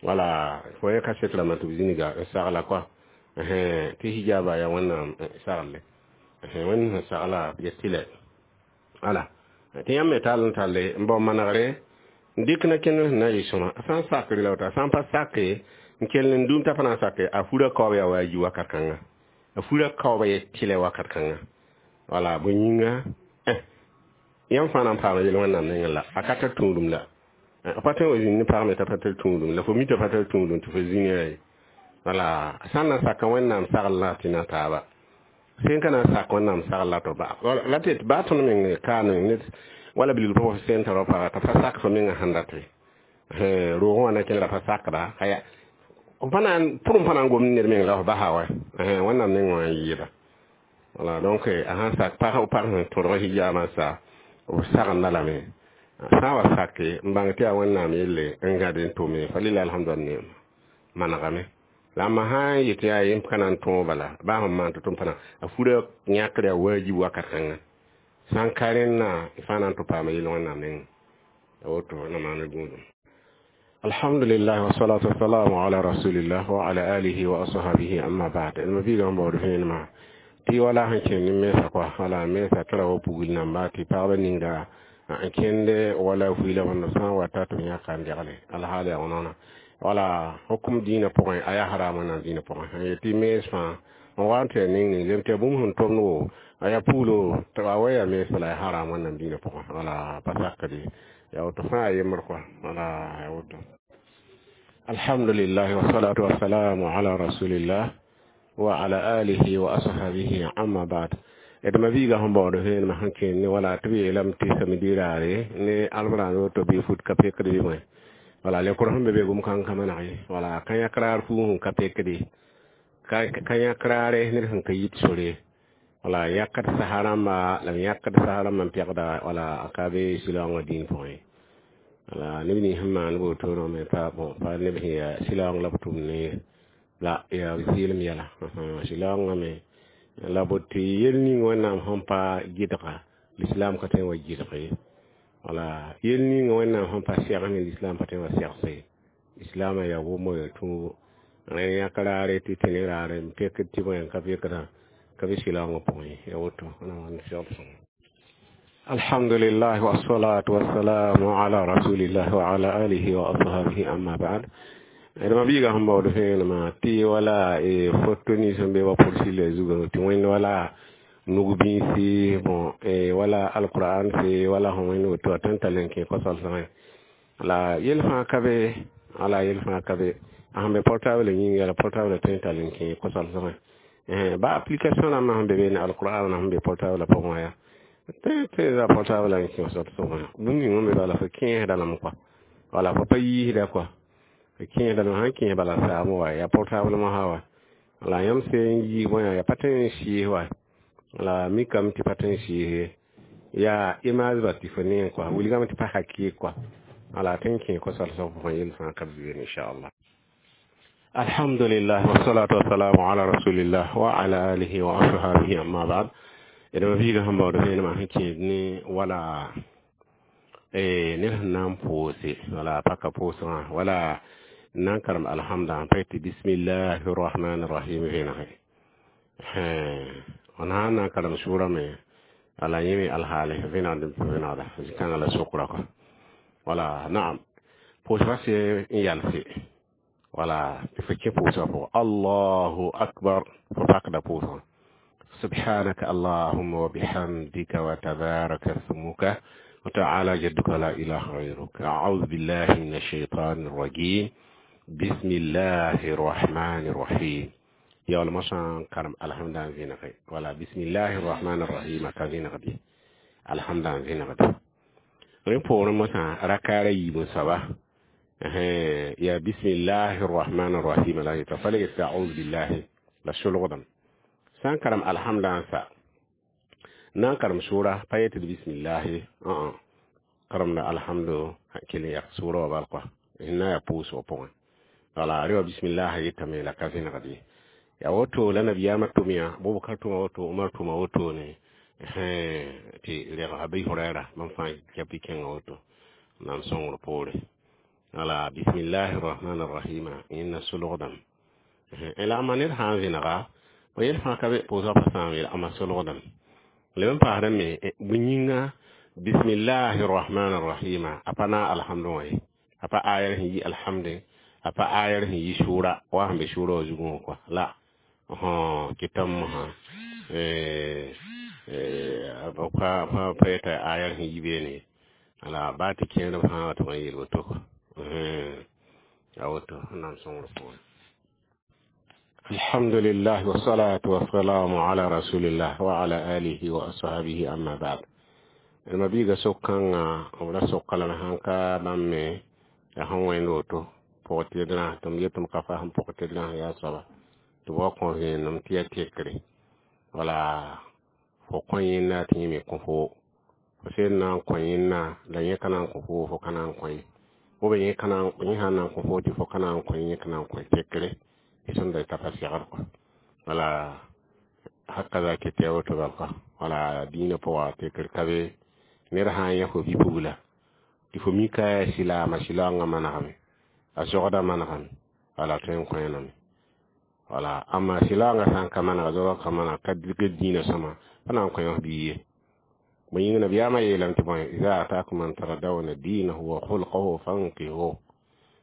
wala fo yẽ kaset rãmbã tɩ b zĩniga n sagla kɔa tɩ hijaaba yaa Wẽnnaam sagle Wẽnd sẽn sagla ya tɩlɛ. Wala tɩ yãmb me tall n talle n bao manegre. N dɩk na kẽnd sẽn na n yɩ sõma. A sã n sakre la woto, a sã n pa sake n kell n dũm t'a pa na n sake, a fura kaoob yaa waajib wakat kãnga. A fura kaooba ye tɩlɛ wakat kãnga. Wala bõe yĩnga yãmb fãa na n paama yel wẽnnaam nengẽ la a ka tar tũudum la. A pa tõe n wa zĩnd ne pag me t'a pa tar tũudum la, fo mi t'a pa tar tũudum tɩ fo zĩnga ye. Wala a sã n na n saka wẽnnaam sagl la tɩ na taaba. Sẽn ka na n sak wẽnnaam sagl la to ba la tɩ baa tõnd meng kaa ned wala bilg pʋgẽ sẽn tar paga t'a pa sak fo mengã sẽn date. Roogẽ wã na kẽnera pa sakda pa na n pʋrem pa na n gomd ned meng la f basa wa wẽnnaam nengẽ wã n yɩɩda. Voilà, donc a sãn sak pag pag sẽn tõdg hijaabã sa b sagenda lame. Sã n wa sake n bãng tɩ yaa wẽnnaam yelle n gãd n tʋme fa lila alhamdulillah ne manegame. La ma sã n yet yaa yẽ ka na n tõog bala baa sẽn maan tɩ tʋm pa na a fura yãkr yaa waajib wakat kãnga. Sã n ka rẽnna fãa na n tɩ paama yel wẽnnaam nengẽ. A woto na maan gũudum. Alhamdulillah wassalatu wassalamu ala rasulillah wa ala alihi wa ashabihi amma ba'd. Ma biiga n baood vẽenemã tɩ wala sẽn kẽnd ne mensã kɔa wala mensã tɩ ra wa pugl namba tɩ pagba ninga n kẽnd wala fuila wãnda sã n wata tɩ b yãka n degle alhaal yaa wãna wala hukum dĩinã pʋgẽ a yaa haram wẽnnaam dĩinã pʋgẽ n yetɩ mens fãa n wa n tɩ ya ning ning zem tɩ ya bũmb sẽn tʋmd wo a yaa puulo tɩ a wa yaa mens bala yaa haram wẽnnaam dĩinã pʋgẽ wala pa sakde yaa woto fãa a yembr kɔa wala yaa woto. Alhamdulillah wassalatu wassalamu ala rasulillah wa ala alihi wa ashabihi amma ba'd. D ma viiga sẽn baood vẽenemã sẽn kẽnd ne wala tɩ b yeelame tɩ samedi raare ne albrãnd woto bɩ fut ka pekd bɩ bõe. Wala lekor sẽn be be gom kãng ka maneg ye. Wala ka yãk raar fuug sẽn ka pekde ka yãk raare ned sẽn ka yit sore. Wala yãkd sasa rãmba la m yãkd sasa rãmbã n pegda wala a ka be sɩlaoongã dĩin pʋgẽ. Wala neb nins sẽn maan wotone me pa bon pa neb sẽn yaa sɩlaoong la b tʋm ne la yaa zɩɩlem yɛla. Sɩlaoongã me la bot tɩ yel ning wẽnnaam sẽn pa gɩdga l'islam ka tõe n wa gɩdg ye. Wala yel ning wẽnnaam sẽn pa sɛgs ne l'islam pa tõe n wa segse. Islamã yaa wʋmo yaa tũugo. Rẽ yãk raare tɩ tẽ ne raare n pekd tɩ bõe n ka pekdã ka be sɩlaoongã pʋgẽ ye. Yaa woto na maan segd sõngo. Alhamdulillah wassalatu wassalamu ala rasulillah wa ala alihi wa ashabihi amma ba'd. D ma biiga sẽn baood vẽenemã tɩ wala foto nins sẽn be wa pʋrsɩla zugã tɩ wẽnd wala nug-bĩisi bon wala alquran se wala sẽn wẽnd woto a tõe n tall n kẽ kosal-sãngẽ. La yel fãa ka be wala yel fãa ka be a sẽn be portable yĩnga la portable tõe n tall n kẽ kosal-sãngẽ. Ba application rãmbã sẽn be be ne alquran sẽn be portable pʋgẽ wã yaa tõe za portable n kẽ kosal-sãngẽ. Bũmb ning sẽn be bala fo kẽesda lame kɔa wala fo pa yiisda kɔa kẽesda lame sãn kẽes bala saam wa yaa portable mosã wa. La yãmb sẽn yiis bõe yaa pa tõe n sɩɩs wa la mikame tɩ pa tõe n sɩɩs yaa image ba tɩ fo neẽ kɔa wilgame tɩ pa hakɩɩk kɔa wala tõe n kẽ kosal-sã pʋgẽ yel fãa ka be inchallah. Alhamdulillah wassalatu wassalamu ala rasulillah wa ala alihi wa ashabihi amma ba'd. D ma biiga sẽn baood vẽenemã sẽn kẽed ne wala ned sẽn na n pʋʋse wala paka pʋʋsgã wala n na n karem alhamdã pa yetɩ bismillahi rahmani rahim vẽnege. N sã n na n karem sʋʋra me wala yẽ me alhaale vẽnegd n vẽnegda zĩ-kãngã la sokra kɔa. Wala naam pʋʋsgã sẽn n yalse wala tɩ fo kẽ pʋʋsgã pʋgẽ Allahu akbar fo pakda pʋʋsgã. Subhanaka allahumma wa bihamdika wa tabaraka ismuka wa ta'ala jadduka la ilaha ghayruk. A'udhu billahi minash shaitanir rajim. Bismillahir rahmanir rahim. Ya wala masã karem alhamdã n vẽnege wala bismillahir rahmanir rahim ka vẽnegde alhamdã n vẽnegde. Rẽ poorẽ mosã rakaara yiib n soaba ya bismillahir rahmanir rahim la yeta fa le yetɩ a'udhu billahi la solgdame. Sã n karem alhamdã n sa na n karem sʋʋra pa yetɩ bismillahi karemda alhamdu kell n yak sʋʋra wa bal kɔa na yaa pʋʋsgã pʋgẽ. Wala rẽ wa bismillah yetame la ka vẽnegd ye. Yaa woto la nabiyaamã tʋm yã Abubakar tʋma woto Umar tʋma woto ne tɩ reg Abi Huraira bãmb fãa kɛp y kẽngã woto n na n sõngr poore. Wala bismillahi rahmani rahima yẽnna solgdame. La a ned sã n vẽnega bõe yel fãa ka be pʋʋsgã pa sãam yel ama solgdame. Leb n paasdame me bõe yĩnga Bismillahi rrahmani rrahima a pa na alhamdu wã ye, a pa ayar sẽn yi alhamde, a pa ayar sẽn yi sʋʋra wa sẽn be sʋʋra wã zugẽ wã kɔa la kɩtame mosã pa yeta ayar sẽn yi beene ye. Wala baa tɩ kẽerb sã wa tɩ n yeel woto kɔ a woto Wẽnnaam sõngr pʋgẽ. Alhamdulillah wassalatu wassalamu ala rasulillah wa ala alihi wa ashabihi, amma ba'd. Ma biiga sok-kãngã b ra soka lame sãn ka bãmb me yaa sẽn wẽnd woto pʋgtɩdrã tɩ m yet tɩ m ka fasem pʋgtɩdrã yaa soaba tɩ b wa kõ vẽenem tɩ yaa tekre wala fo kõ yẽnda tɩ yẽ me kõ fo fo sed na n kõ yẽnda la yẽ ka na n kõ fo, fo ka na n kõ ye, ou bien yẽ sã n na n kõ fo tɩ fo ka na n kõ yẽ ka na n kõ tekre tɩ sẽn da t'a pa segd kɔa. Wala hakaza kete woto bal kɔa. Wala dĩinã pʋga tekr ka be. Ned sã n yã fo bi-pugla tɩ fo mika yaa silaama, silaoongã manegame, a sogdã manegame, wala tõe n kõ-yãname. Wala amma silaoongã sã n ka manega, zogã ka maneg, ka dɩk dĩinã sõma, pa na n kõ f bii ye. Bõe yĩng nabiyaamã yeelame tɩ bõe iza atakum man tardawna dinahu wa khulqahu fankihu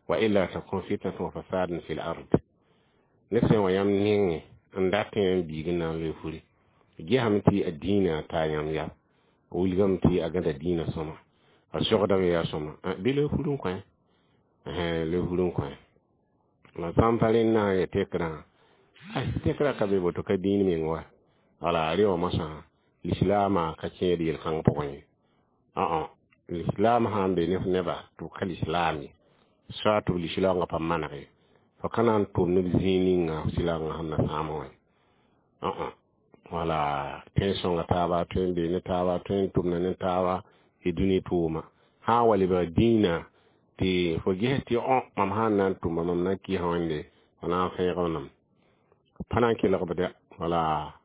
wa illa takun fitnatun wa fasadun fi l ard. Ned sẽn wa yãmb nengẽ n dat yãmb biig n na n loe furi, gesame tɩ a dĩinã taa yãmb ya, wilgame tɩ a gãda dĩinã sõma, a sogdame yaa sõma, bɩ loe fur n kõ, loe fur n kõ. La sã n pa rẽndã ya tekrã, ay tekrã ka be boto ka dĩin meng wa. Wala rẽ wã mosã lislaamã ka kẽed yel-kãng pʋgẽ ye. Ã lislaam sã n be ne f neba tɩ b ka lislaam ye, soa tɩ b lislaoongã pa maneg ye, fo ka na n tʋm neb zĩig ninga f silaoongã sẽn na sãam wã ye. Wala tẽn-sõnga taaba tõe n bee ne taaba, tõe n tʋmda ne taaba tɩ dũni tʋʋma sã n wa lebg dĩinã tɩ fo ges tɩ õ mam sã n na n tʋma mam na n kɩɩsã wẽnde fo na n fẽegb nam pa na n kelg b dɛ. Wala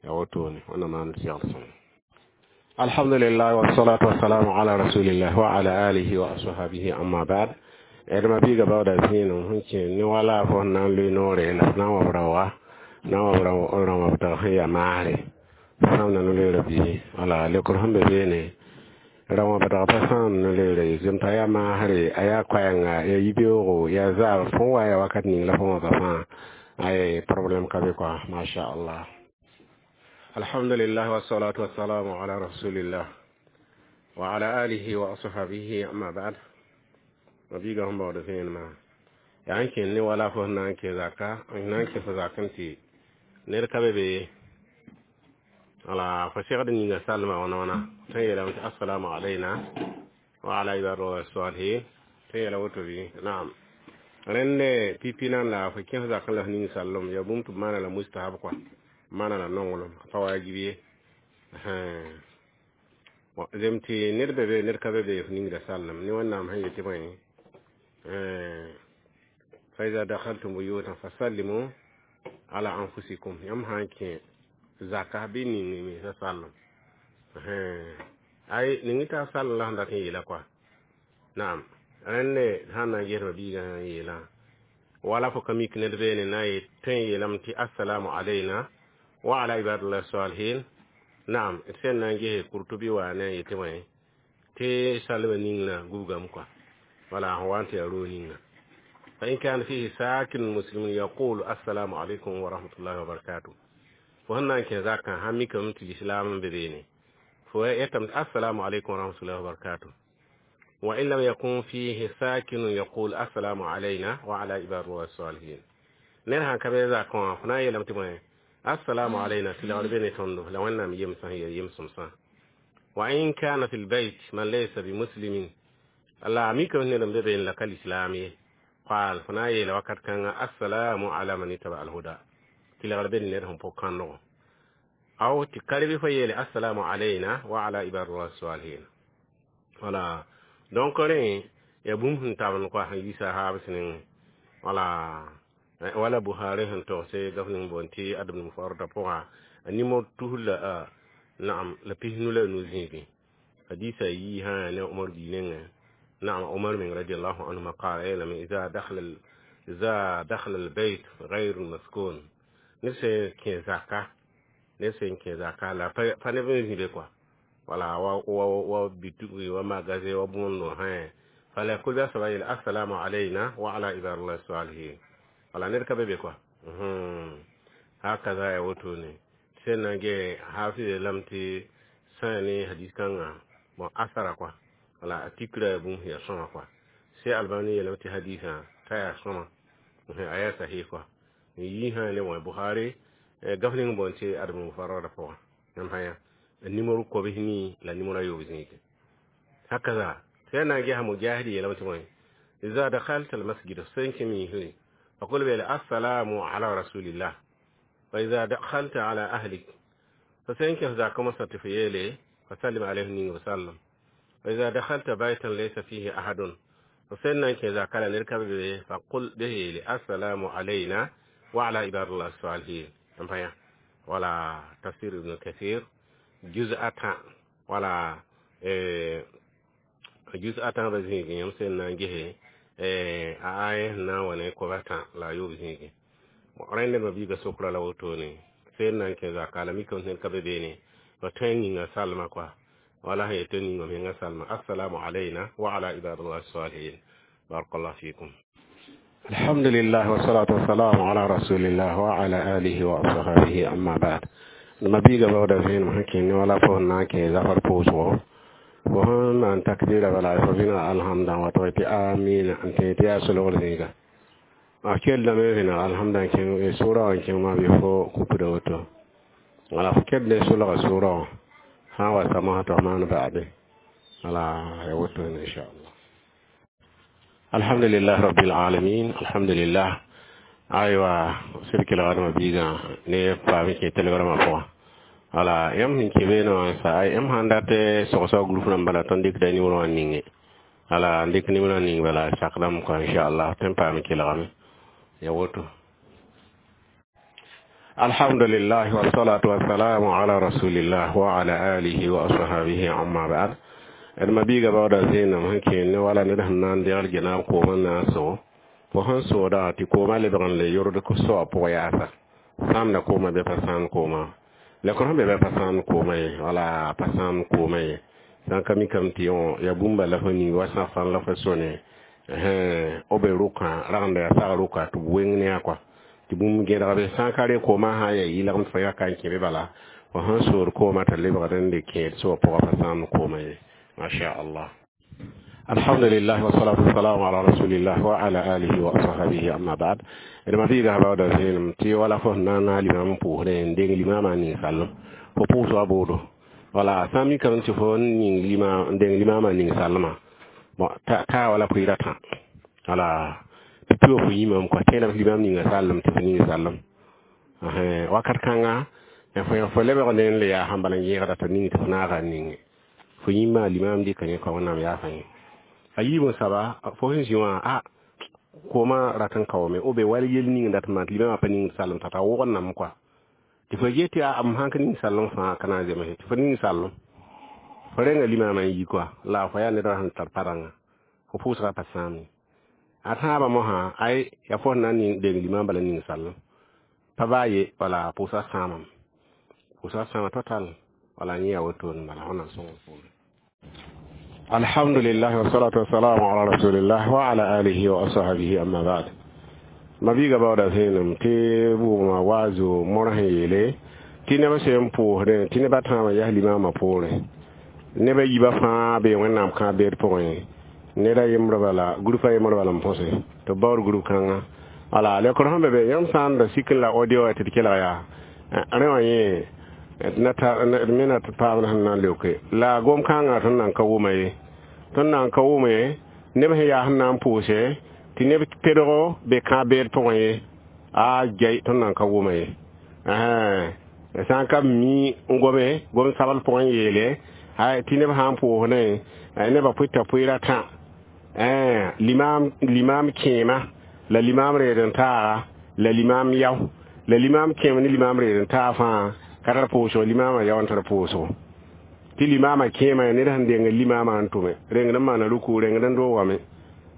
ya wotone wẽnnaam maan segl sõng. Alhamdulillah wassalatu wassalamu ala rasulillah wa ala alihi wa ashabihi, amma ba'd. D ma biiga baooda zĩenem sẽn kẽ ne wala fo sẽn na n loe noore la f na n wa b raoa na n wa b rão sẽn yaa maasre sãamda no-loeerã bii. Wala lekr sẽn be beene rão wã bdg pa sãam no-loeerã ye zem t'a yaa maasre, a yaa koɛɛnga, yaa yibeoogo, yaa zaab fõn wa yaa wakat ning la fõ wãba fãa ay problème ka be kɔa. Masha Allah. Alhamdulillah wassalatu wassalamu ala rasulillah wa ala alihi wa ashabihi, amma ba'd. Ma biiga sẽn baood vẽenemã yaa n kẽnd ne wala fo sẽn na n kẽ zaka n na n kẽs zakẽ tɩ ned ka be be. Wala fo segd ninga salma wãna wãna tõe n yeelame tɩ assalamu alayna wa ala ibadillahi salihin, tõe n yeela woto bɩ naam. Rẽnd pipi nan la fo kẽs zakẽ la f ning sallem yaa bũmb tɩ b maana la mustahab kɔa, maana la nonglem, a pa wajib ye. Zem tɩ ned be be, ned ka be be, f ningda sallem ne Wẽnnaam sẽn yetɩ bõe fa iza dakhaltum buyutan fasallimu ala anfusikum. Yãmb sã n kẽ zaka bɩ ning mensa sallem ay ning t'a sallem la sẽn dat n yeela kɔa naam. Rẽnd sãn na n gesma biigã sã n yeelã wala fo ka mik ned beene na n tõe n yeelame tɩ assalamu alayna wa ala ibadillah salihin. Naam, d sẽn na n gese Kurtubi wa ne n yetɩ bõe tɩ salma ninglã gubgame kɔa. Wala sẽn wa n tɩ yaa roog ninga fa in kana fihi sakin muslimun yaqulu assalamu alaikum wa rahmatullahi wa barakatuh. Fo sẽn na n kẽ zakã sãn mikame tɩ lislaam n be beene fo yetame tɩ assalamu alaikum wa rahmatullahi wa barakatuh. Wa in lam yakun fihi sakinun yaqul assalamu alayna wa ala ibadillahi salihin. Ned sãn ka be zakã wã fo na n yeelame tɩ bõe assalamu alayna tɩ lagd be ne tõndo la Wẽnnaam yemsã sẽn yaa yem-sõmsã. Wa in kana fi lbayt man laysa bimuslimin la mikame ned n be beene la ka lislaam ye qal fo na n yeela wakat kãnga assalamu ala man ittaba alhuda tɩ lagd be ne ned sẽn pʋg kãndgo aw tɩ karbi fo yeele assalamu alayna wa ala ibadillahi salihin. Wala donc rẽ yaa bũmb sẽn tabend kɔa sẽn yi sahaab sẽnengẽ. Wala wala Buhari sẽn togse gaf ning boon tɩ adb mufarda pʋga a nimor tus la naam la pisnu la nu zĩigẽ hadisa yi sã ne Umar bii nengẽ naam Umar meng radiallahu anhuma qala yeelame iza dakhala albayt غير maskun ned sẽn kẽ zaka, ned sẽn kẽ zaka la pa neb n zĩ be kɔa. Wala wa wa wa bitugi wa magaze wa bũndo hẽ fala kulba saba yel assalamu alayna wa ala ibadillahi salihin. Wala ned ka be be quoi. Hakaza ya woto ne sẽn na n ge hafiz lam tɩ sã ne hadis kãngã, bon, asara quoi. Wala a tikra bũmb sẽn yaa sõma quoi. Se Albani yeelame tɩ hadisã t'a yaa sõma, a yaa sahih quoi. N yi sã ne wã Bukhari gaf ning boond tɩ adab mufarrada pʋgã, yãmb sã yã numéro 93 la numéro 9 zĩige. Hakaza tɩ yaa na n gesa Mujahid yeelame tɩ bõe, iza dakhalta almasjid sẽn kẽ miisre فقل بها السلام على رسول الله، وإذا دخلت على أهلك فسينك ذاك مسات في يلي فسلم عليه وسلم، وإذا دخلت بيتا ليس فيه أحد فسنك إذا كان نركب به فقل به السلام علينا وعلى عباد الله الصالحين. ولا تفسير ابن كثير جزء أتا ولا جزء أتا بزينك يمسن نجيه a aya na wane ko bata la yob zĩige. Rẽnd ma biiga sokra la wotone sẽn na n kẽ zaka la mikame sẽn ka be beene fa tõe n yĩnga salma quoi. Wala sẽn yetɩ ninga menga salma assalamu alayna wa ala ibadillah salihin. Barakallah fikum. Alhamdulillah wassalatu wassalamu ala rasulillah wa ala alihi wa ashabihi, amma ba'd. Ma biiga baoda zẽenem sẽn kẽne wala fo na n kẽ zafar pʋʋsgo fo sẽn maan takbira bala fo vẽnega alhamdã wa tɩ tɩ amina n tẽ tɩ yaa solgr zĩiga a kellame vẽneg alhamdã n kẽng sʋra wã n kẽng maa bɩ fo kupda woto wala fo kell ne solga sʋra wã sã n wa samsã tɩ f maan ba'ade wala ya woto inchallah. Alhamdulillah rabbil alamin, alhamdulillah. Aywa sɩd kelgdmã biigã ne paam kẽ telegrama pʋgã. Wala yãmb sẽn kẽ beene wã sa yãmb sãn dat sogsg group rãmb bala tõnd dɩkda nimero wã ninge wala n dɩk nimero wã ning bala sakdame kɔ inchallah tõe n paam kelgame ya woto. Alhamdulillah wassalatu wassalamu ala rasulillah wa ala alihi wa ashabihi, amma ba'd. D ma biiga baooda zẽenem sẽn kẽen ne wala ned sẽn na n degl genaab koomã na n sʋg fo sẽn sooda tɩ koomã lebg n le yord soa pʋg yaasa sãamda koomã bɩ pa sãam koomã la kõ sẽn be bɩ pa sãam koomã ye wala pa sãam koomã ye sã n ka mikame tɩ yaa bũmba la fo ning wa sãfan la fo sõne b be rʋkã ragenda yaa sag rʋka tɩ b weng ne a kɔa tɩ bũmb gẽdgbe sã n ka re koomã sã n yaa yɩlgem tɩ fo yaka n kẽ be bala fo sẽn sood koomã t'a lebgd n le kẽed soa pʋgã pa sãam koomã ye masha Allah. Alhamdulillah wassalatu wassalamu ala rasulillah wa ala alihi wa ashabihi, amma ba'd. D ma biiga baooda zẽenem tɩ wala fo sẽn na n naag limam n pʋʋsdẽ n deng limamã ning-sallem fo pʋʋs wa boodo wala sã n mikame tɩ fo ning lima n deng limamã ning-sallmã bon taa wala pʋɩɩra tã wala tɩ pʋa fo yĩmame kɔa tẽedame tɩ limam ninga sallem tɩ fo ning sallem wakat kãnga fo lebg ne n le yaa sẽn bala n yẽegda t'a ning tɩ fo naaga n ninge fo yĩmma limam dɩka yẽ kɔ wẽnnaam yaasã yẽ a yiib n saba fo sẽn zĩ wã a koomã rat n kaoome o be wal yel ning dat maan tɩ limamã pa ning sallem t'a ta wʋgendame kɔa tɩ fo get tɩ a m sãn ka ning sallem fãa ka na n zemse tɩ fo ning sallem fo renga limamã n yi kɔa la fo yaa ned wã sẽn tar parãngã fo pʋʋsgã pa sãam ye a tãabã mosã ay ya fo sẽn na n deng limam bala ning sallem pa baa ye wala pʋʋsgã sãamame pʋʋsgã sãama total wala yẽ yaa wotone bala wẽnnaam sõng poorẽ. Alhamdulillah wassalatu wassalamu ala rasulillah wa ala alihi wa ashabihi, amma ba'd. Ma biiga baooda zẽenem tɩ bʋʋgmã waazo mõr sẽn yeele tɩ neb sẽn pʋʋsdẽ tɩ nebã tãabã yas limamã poorẽ nebã yiibã fãa bee wẽnnaam kãab beed pʋgẽ ned a yembr bala group a yembr bala n põse tɩ b baood group kãngã wala lekr sẽn be be yãmb sã n da sik n la audio tɩ d kelg yaa rẽ wã yẽ d me na tɩ paamd sẽn na n leoke la gom kãngã tõnd nan ka wʋma ye tõnd nan ka wʋme neb sẽn yaa sẽn na n pʋʋse tɩ neb pedgo be kãab beed pʋgẽ ye a jai tõnd nan ka wʋma ye sã n ka mi n gome gom sabl pʋgẽ yeele tɩ neb sã n pʋʋsdẽ nebã pʋɩta pʋɩɩra tã limam limam kẽema la limam reed n taaga la limam yao la limam kẽem ne limam reed n taag fãa ka tar pʋʋsgo limamã yao n tar pʋʋsgo tɩ limamã kẽema ned sẽn deng limamã n tʋme rengd n maana ruku rengd n doogame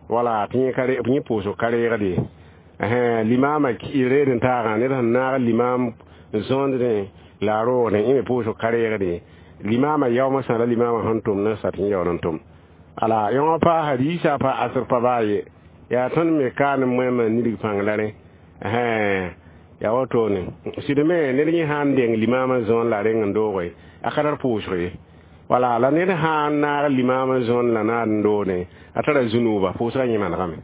wala tɩ yẽ yẽ pʋʋsg ka reegd ye limamã reed n taagã ned sẽn naag limam n zõondẽ La a roogdẽ yẽ me pʋʋsg ka reegde limaamã yaoomã sã la limaamã sẽn tʋm ne sat n yaool n tʋm. Ala yõ pa hadisa pa asr pa baa ye. Yaa tõnd me kaan moẽmã nidg pãng la rẽ. Yaa wotone. Sɩd me ned yẽ sã n deng limaamã zõon la a reng n dooge a ka tar pʋʋsg ye. Wala la ned sã n naag limaamã zõon la naad n doone a tara zu-nooba pʋʋsgã yẽ manegame.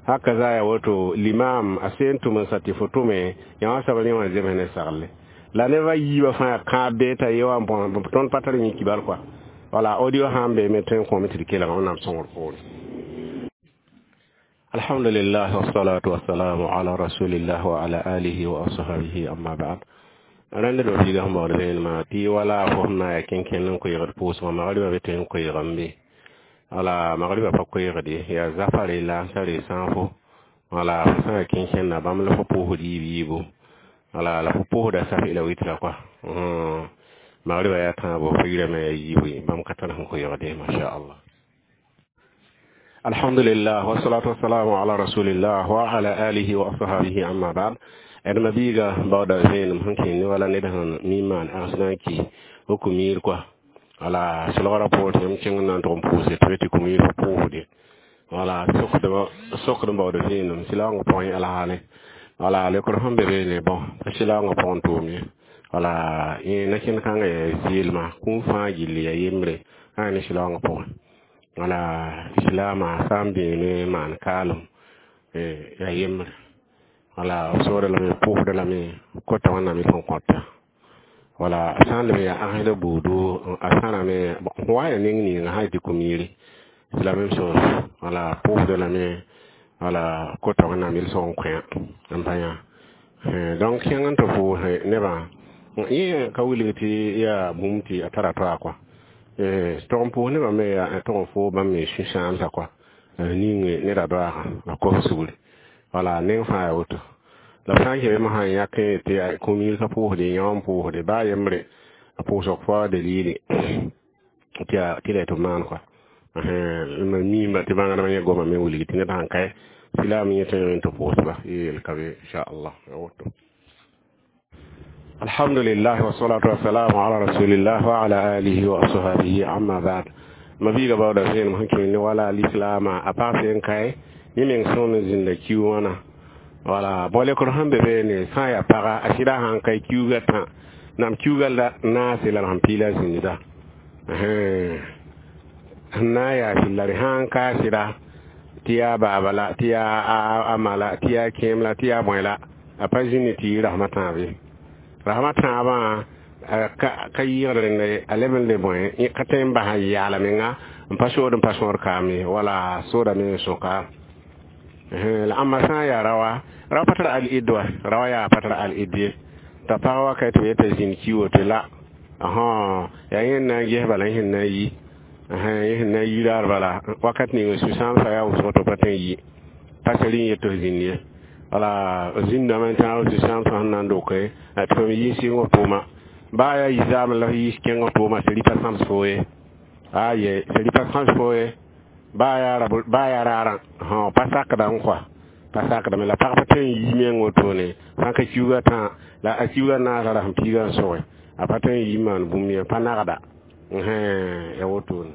Haka za ya woto limam a sẽn tʋm n sa tɩ fo tʋme yã wã soab rẽ wã zems ne sagle. La neb a yiibã fãa kãab bee t'a ye wã tõnd pa tar yẽ kibal kɔa. Wala audio sã n be me tõe n kõome tɩ d kelga Wẽnnaam sõngr poore. Alhamdulillah wassalatu wassalamu ala rasulillah wa ala alihi wa ashabihi amma ba'd. Rãnd do biiga sẽn baood vẽenemã tɩ wala fo sẽn na n yaa kẽnkẽnd n koeegd pʋʋsgã magribã be tõe n koeegame be. Wala magribã pa koeegde yaa zafare la sã re sãafo. Wala fo sã n yaa kẽnkẽnda bãmb la fo pʋʋsd yiib yiibu. Wala la fo pʋʋsda safi la witra kɔa. Magribã yaa tãabo fo yirame yaa yiibu bãmb ka tar sẽn koeegde masha Allah. Alhamdulillah wassalatu wassalamu ala rasulillah wa ala alihi wa ashabihi amma ba'd. D ma biiga baooda vẽenem sẽn kẽ ne wala ned sẽn mi n maan agsdã n ki fo kũmiir kɔa. Wala solgrã poor tɩ yãmb kẽng n na n tʋg n pʋʋse tɩ tɩ kũmiir fo pʋʋsde. Wala sokd n baood vẽenem sɩlaoongã pʋgẽ alhaale. Wala leokr sẽn be beene bõ pa sɩlaoongã pʋgẽ tʋʋm ye. Wala yẽ na-kẽnd kãngã yaa zɩɩlma kũum fãa gilli yaa yembre sã ne sɩlaoongã pʋgẽ. Wala islaamã sã n beene maan kaalem yaa yembre. Wala b soogda lame pʋʋsda lame kota Wẽnnaam y sẽn kõta. Wala a sã n leb n yaa ãgesda buudu a sãrame wa yaa neng ninga sã tɩ kũmiire. C'est la même chose. Wala pʋʋsda lame wala kota Wẽnnaam yel-sõg n kõ n pa yã. Donc kẽng n tɩ pʋʋse nebã yẽ ka wilg tɩ yaa bũmb tɩ a tara toa kɔa. Tog n pʋʋs nebã me yaa tog n foo bãmb me sũ-sãamsã kɔa ning neda doaagã a kos sugri. Wala neng fãa yaa woto. La b sã n kẽ me sã n yãk tɩ kũmiir ka pʋʋsde yã n pʋʋsde baa yembre a pʋʋsg fo dalili tɩ tɩ la tɩ maan kɔa. Mam miimba tɩ bãngdmã yẽ goma me wilg tɩ ned sãn kae silaam yẽ tõe n tɩ pʋʋsba yeel ka be inchallah yaa woto. Alhamdulillah wassalatu wassalamu ala rasulillah wa ala alihi wa ashabihi amma ba'd. Ma biiga baooda vẽenem sẽn kẽ ne wala lislaamã a pag sẽn kae yẽ meng sõm n zĩnda kiu wãna. Wala bõ lekr sẽn be beene sã n yaa paga a sɩda sã n kae kiuugã tã nam kiuugã la naase la sẽn piila zĩnda. Sẽn na n yaa sɩd la d sã n ka sɩda tɩ yaa baaba la tɩ yaa a ma la tɩ yaa kẽem la tɩ yaa bõe la a pa zĩni tɩ yɩ rasmã tãab ye. Rasmã tãabã ka yɩɩgd rẽnda ye a leb n le bõe ka tõe n bas n yaala menga n pa sood n pa sõor kaam ye wala soodame n sõka. La ãmba sã n yaa raoã rao pa tar al-id wa raoã yaa pa tar al-id ye t'a pag wa ka tɩ b yeta zĩnd ki woto la yaa yẽ n na n ges bala yẽ sẽn na n yi yẽ sẽn na n yi raar bala wakat ning sũ-sãamsã yaa wʋsg tɩ pa tõe n yi pa sar n yet tɩ f zĩnd ye. Wala zĩndame n tãag sũ-sãamsã sẽn na n doke tɩ fo me yi sɩngr tʋʋma baa yaa yi-zaamẽ la f yi kẽngr tʋʋma seri pa sãms fo ye. Aye seri pa sãms fo ye baa yaa raarã pa sakdame kɔa pa sakdame la pag pa tõe n yi meng wotone sã ka kiuugã tã la a kiuugã naasa ra sẽn piigã n sõge a pa tõe n yi maan bũmb ye pa nagda ya wotone.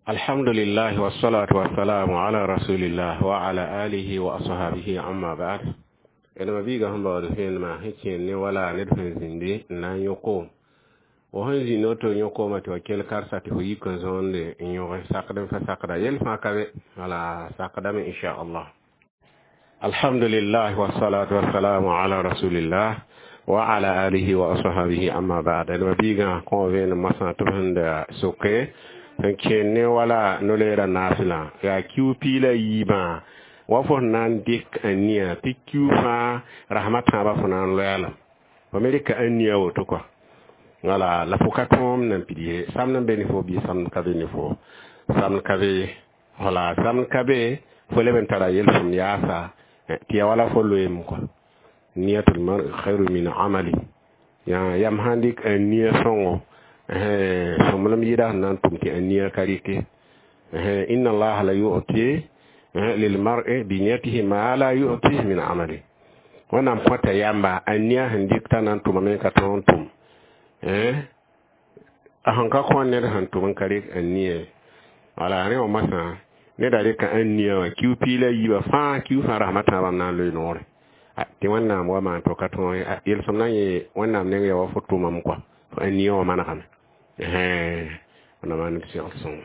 Alhamdulillah wassalatu wassalamu ala rasulillah wa ala alihi wa ashabihi amma ba'd. D ma biiga sẽn baood vẽenemã sẽn kẽer ne wala ned sẽn zĩndi n na n yõk-koom. Fo sẽn zĩnd woto yõk-koomã tɩ wa kell karsa tɩ fo yik n zõonde n yõge sakd n fa sakda yel fãa ka be wala sakdame inchallah. Alhamdulillah wassalatu wassalamu ala rasulillah wa ala alihi wa ashabihi amma ba'd. D ma biigã kõ vẽenem moasã tɩ b sẽn da soke n kẽer ne wala no-leerã naasla yaa kiu piig la yiibã wa fo sẽn na n dɩk a nia tɩ kiu fãa rasmã tãabã fo na n loɛɛlem fo me rɩka a nia woto kɔa. Wala la fo ka tõom nan pid ye samd n be ne fo bɩ samd ka be ne fo samd ka be wala samd ka be fo leb n tara yel-sõmd yaasa tɩ yaa wala fo loeem kɔa. Niyatul mar'i khairu min amali yaa yam sãn dɩk a nia sõngo sõmblem yɩɩda sẽn na n tʋm tɩ a nia ka rɩke. Inna allaha la yu'ti lil mar'i bi niyatihi ma la yu'ti min amali. Wẽnnaam kõta yamba a nia sẽn dɩk t'a na n tʋmame ka tõog n tʋm, a sẽn ka kõ ned sẽn tʋm n ka rɩk a nia. Wala rẽ wã masã neda rɩka ã nia wã kiu piig la yiibã fãa, kiu fãa rasem a tãabã n na n loe noore tɩ Wẽnnaam wa maan to ka tõog yelsem na n yẽ Wẽnnaam neng ya wa fo tʋmame kɔa, fo ã nia wã manegame. Wẽnnaam maan d segl sõngo.